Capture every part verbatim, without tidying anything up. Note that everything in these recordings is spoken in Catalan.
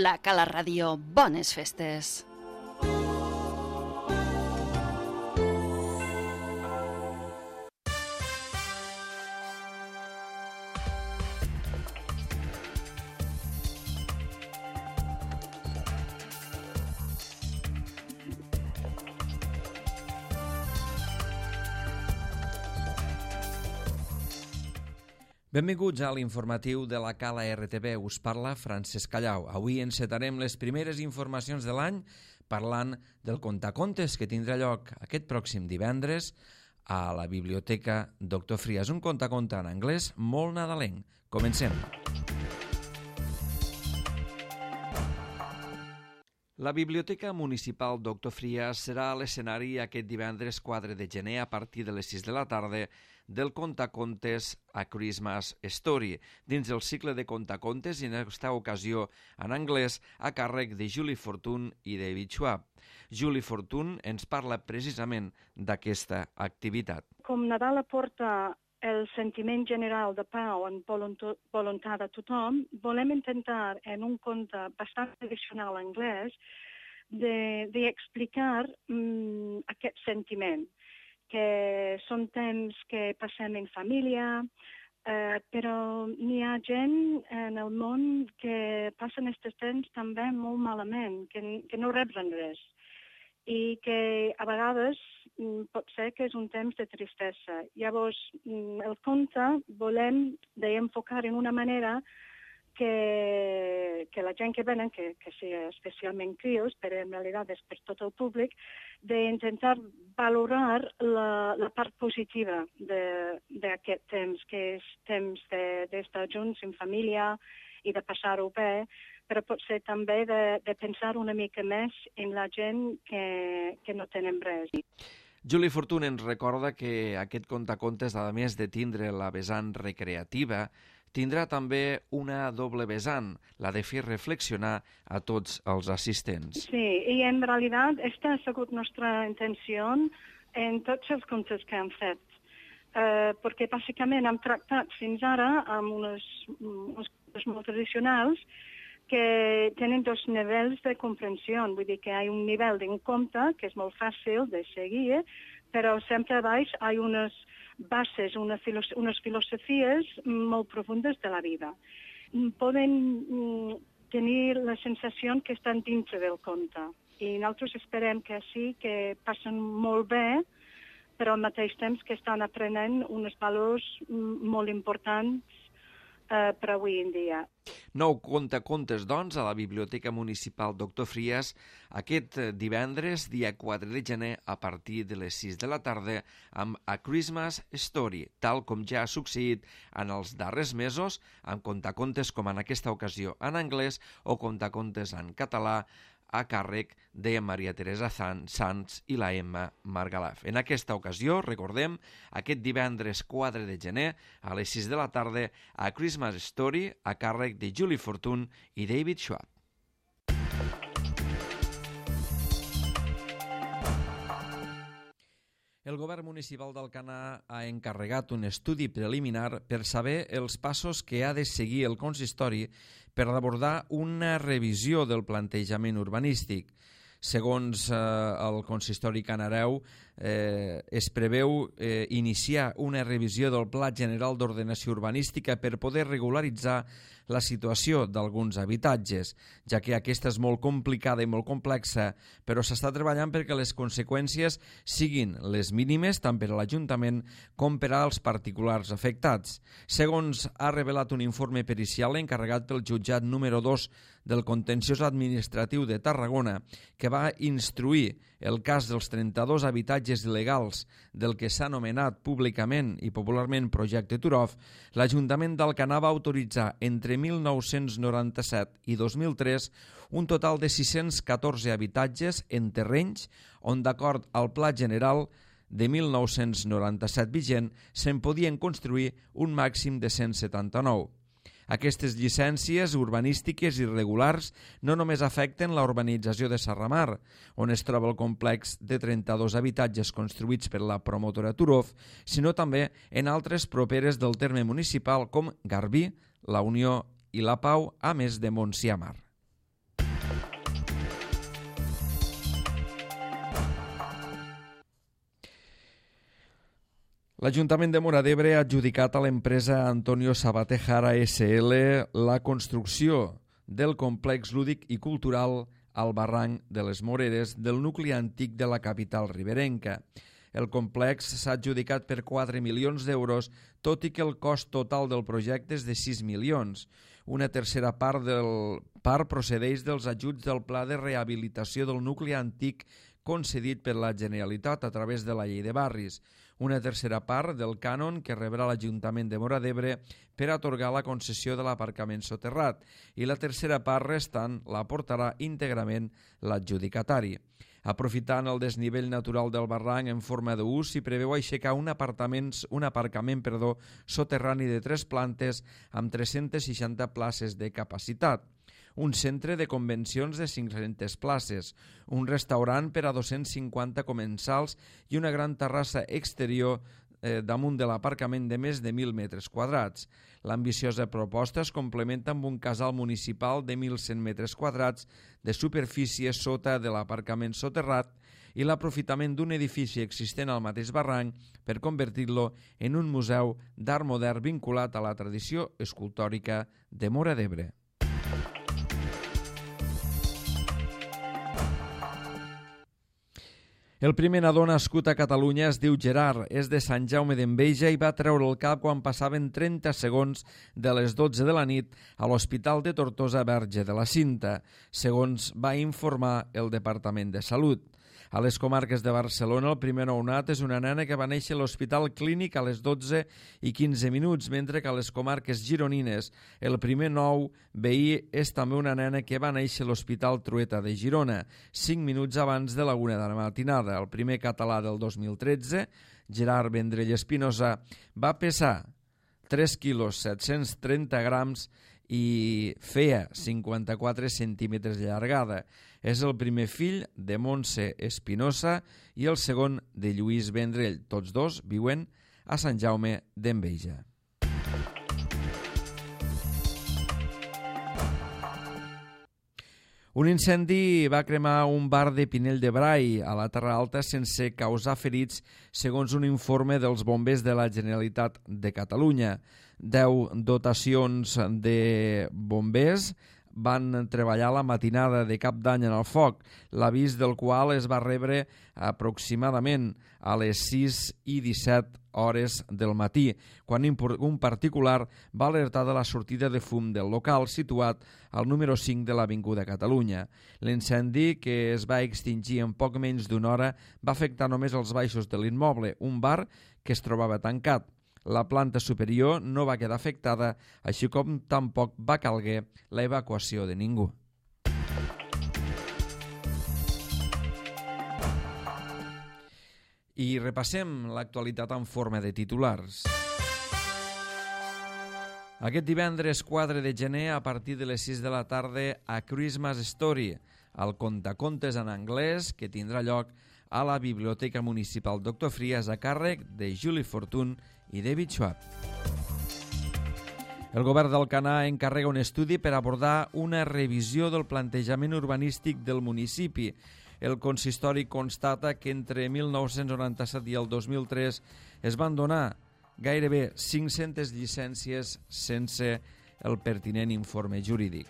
La Cala Ràdio. Bones festes! Benvinguts a l'informatiu de la Cala R T V. Us parla Francesc Callau. Avui encetarem les primeres informacions de l'any parlant del contacontes que tindrà lloc aquest pròxim divendres a la Biblioteca Doctor Frias. Un contaconte en anglès molt nadalenc. Comencem. La Biblioteca Municipal Doctor Frias serà l'escenari aquest divendres quatre de gener a partir de les sis de la tarda del contacontes A Christmas Story, dins el cicle de contacontes i en aquesta ocasió en anglès a càrrec de Julie Fortune i David Schwab. Julie Fortune ens parla precisament d'aquesta activitat. Com Nadal aporta el sentiment general de pau en voluntat de tothom, volem intentar en un conte bastant tradicional anglès d'explicar de, mm, aquest sentiment, que són temps que passem en família, eh, però n'hi ha gent en el món que passen aquests temps també molt malament, que, que no reben res, i que a vegades pot ser que és un temps de tristesa. Llavors, el conte volem d'enfocar en una manera que, que la gent que venen, que, que sigui especialment crios, però en realitat és per tot el públic, d'intentar valorar la, la part positiva d'aquest temps, que és temps d'estar junts en família i de passar-ho bé, però pot ser també de, de pensar una mica més en la gent que, que no tenen res. Julie Fortune ens recorda que aquest contacontes, a més de tindre la vessant recreativa, tindrà també una doble vessant, la de fer reflexionar a tots els assistents. Sí, i en realitat aquesta ha sigut nostra intenció en tots els contes que hem fet, eh, perquè bàsicament hem tractat fins ara amb unes, unes coses molt tradicionals que tenen dos nivells de comprensió. Vull dir que hi ha un nivell d'un conte que és molt fàcil de seguir, però sempre a baix hi ha unes bases, una filos unes filosofies molt profundes de la vida. Poden mm, tenir la sensació que estan dintre del conte. I nosaltres esperem que sí, que passen molt bé, però al mateix temps que estan aprenent uns valors molt importants Uh, per avui en dia. Nou contacontes, doncs, a la Biblioteca Municipal Doctor Frias aquest divendres, dia quatre de gener, a partir de les sis de la tarda, amb A Christmas Story, tal com ja ha succeït en els darrers mesos, amb contacontes com en aquesta ocasió en anglès o contacontes en català, a càrrec de Maria Teresa Sans i la Emma Margalaf. En aquesta ocasió, recordem, aquest divendres quatre de gener, a les sis de la tarda, A Christmas Story, a càrrec de Julie Fortune i David Schwab. El govern municipal d'Alcanar ha encarregat un estudi preliminar per saber els passos que ha de seguir el consistori per abordar una revisió del plantejament urbanístic. Segons eh, el consistori canareu, eh, es preveu eh, iniciar una revisió del Pla General d'Ordenació Urbanística per poder regularitzar la situació d'alguns habitatges, ja que aquesta és molt complicada i molt complexa, però s'està treballant perquè les conseqüències siguin les mínimes tant per a l'Ajuntament com per als particulars afectats. Segons ha revelat un informe pericial encarregat pel jutjat número dos del Contenciós Administratiu de Tarragona, que va instruir el cas dels trenta-dos habitatges il·legals del que s'ha anomenat públicament i popularment Projecte Turov, l'Ajuntament d'Alcanar va autoritzar entre mil nou-cents noranta-set i dos mil tres un total de sis-cents catorze habitatges en terrenys on, d'acord al Pla General de mil nou-cents noranta-set vigent, se'n podien construir un màxim de cent setanta-nou. Aquestes llicències urbanístiques irregulars no només afecten la urbanització de Serramar, on es troba el complex de trenta-dos habitatges construïts per la promotora Turov, sinó també en altres properes del terme municipal com Garbí, La Unió i La Pau, a més de Montsià Mar. L'Ajuntament de Móra d'Ebre ha adjudicat a l'empresa Antonio Sabater Jara essa ele la construcció del complex lúdic i cultural al barranc de les Moreres del nucli antic de la capital riberenca. El complex s'ha adjudicat per quatre milions d'euros, tot i que el cost total del projecte és de sis milions. Una tercera part del part procedeix dels ajuts del Pla de Rehabilitació del Nucli Antic concedit per la Generalitat a través de la Llei de Barris. Una tercera part del cànon que rebrà l'Ajuntament de Móra d'Ebre per atorgar la concessió de l'aparcament soterrat i la tercera part restant l'aportarà íntegrament l'adjudicatari. Aprofitant el desnivell natural del barranc en forma d'ús, s'hi preveu aixecar un, un aparcament perdó, soterrani de tres plantes amb tres-centes seixanta places de capacitat, un centre de convencions de cinc-centes places, un restaurant per a dos-cents cinquanta comensals i una gran terrassa exterior eh, damunt de l'aparcament de més de mil metres quadrats. L'ambiciosa proposta es complementa amb un casal municipal de mil cent metres quadrats de superfície sota de l'aparcament soterrat i l'aprofitament d'un edifici existent al mateix barranc per convertir-lo en un museu d'art modern vinculat a la tradició escultòrica de Móra d'Ebre. El primer nadó nascut a Catalunya es diu Gerard, és de Sant Jaume d'Enveja i va treure el cap quan passaven trenta segons de les dotze de la nit a l'Hospital de Tortosa Verge de la Cinta, segons va informar el Departament de Salut. A les comarques de Barcelona, el primer nounat és una nena que va néixer a l'Hospital Clínic a les dotze i quinze minuts, mentre que a les comarques gironines el primer nou veí és també una nena que va néixer a l'Hospital Trueta de Girona, cinc minuts abans de la una de la matinada. El primer català del dos mil tretze, Gerard Vendrell Espinosa, va pesar tres quilos set-cents trenta grams i feia cinquanta-quatre centímetres de llargada. És el primer fill de Montse Espinosa i el segon de Lluís Vendrell. Tots dos viuen a Sant Jaume d'Enveja. Un incendi va cremar un bar de Pinell de Brai a la Terra Alta sense causar ferits, segons un informe dels bombers de la Generalitat de Catalunya. Deu dotacions de bombers van treballar la matinada de Cap d'Any en el foc, l'avís del qual es va rebre aproximadament a les sis i disset hores del matí, quan un particular va alertar de la sortida de fum del local situat al número cinc de l'Avinguda Catalunya. L'incendi, que es va extingir en poc menys d'una hora, va afectar només els baixos de l'immoble, un bar que es trobava tancat. La planta superior no va quedar afectada, així com tampoc va calguer la evacuació de ningú. I repassem l'actualitat en forma de titulars. Aquest divendres quatre de gener, a partir de les sis de la tarda, a Christmas Story, el contacontes en anglès que tindrà lloc a la Biblioteca Municipal Doctor Frias a càrrec de Julie Fortun i David Schwab. El govern d'Alcanar encarrega un estudi per abordar una revisió del plantejament urbanístic del municipi. El consistori constata que entre mil nou-cents noranta-set i el dos mil tres es van donar gairebé cinc-centes llicències sense el pertinent informe jurídic.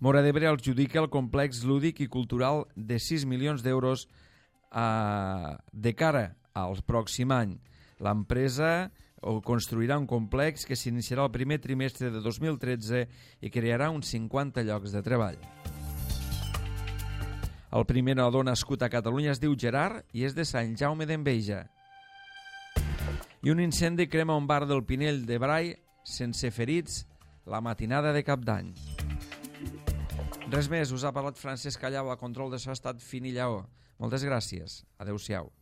Móra d'Ebre adjudica el complex lúdic i cultural de sis milions d'euros a... de cara al pròxim any. L'empresa construirà un complex que s'iniciarà el primer trimestre de dos mil tretze i crearà uns cinquanta llocs de treball. El primer nadó nascut a Catalunya es diu Gerard i és de Sant Jaume d'Enveja. I un incendi crema un bar del Pinell de Brai sense ferits la matinada de Cap d'Any. Res més, us ha parlat Francesc Callau, a control de so ha estat Fini Lleó. Moltes gràcies. Adéu-siau.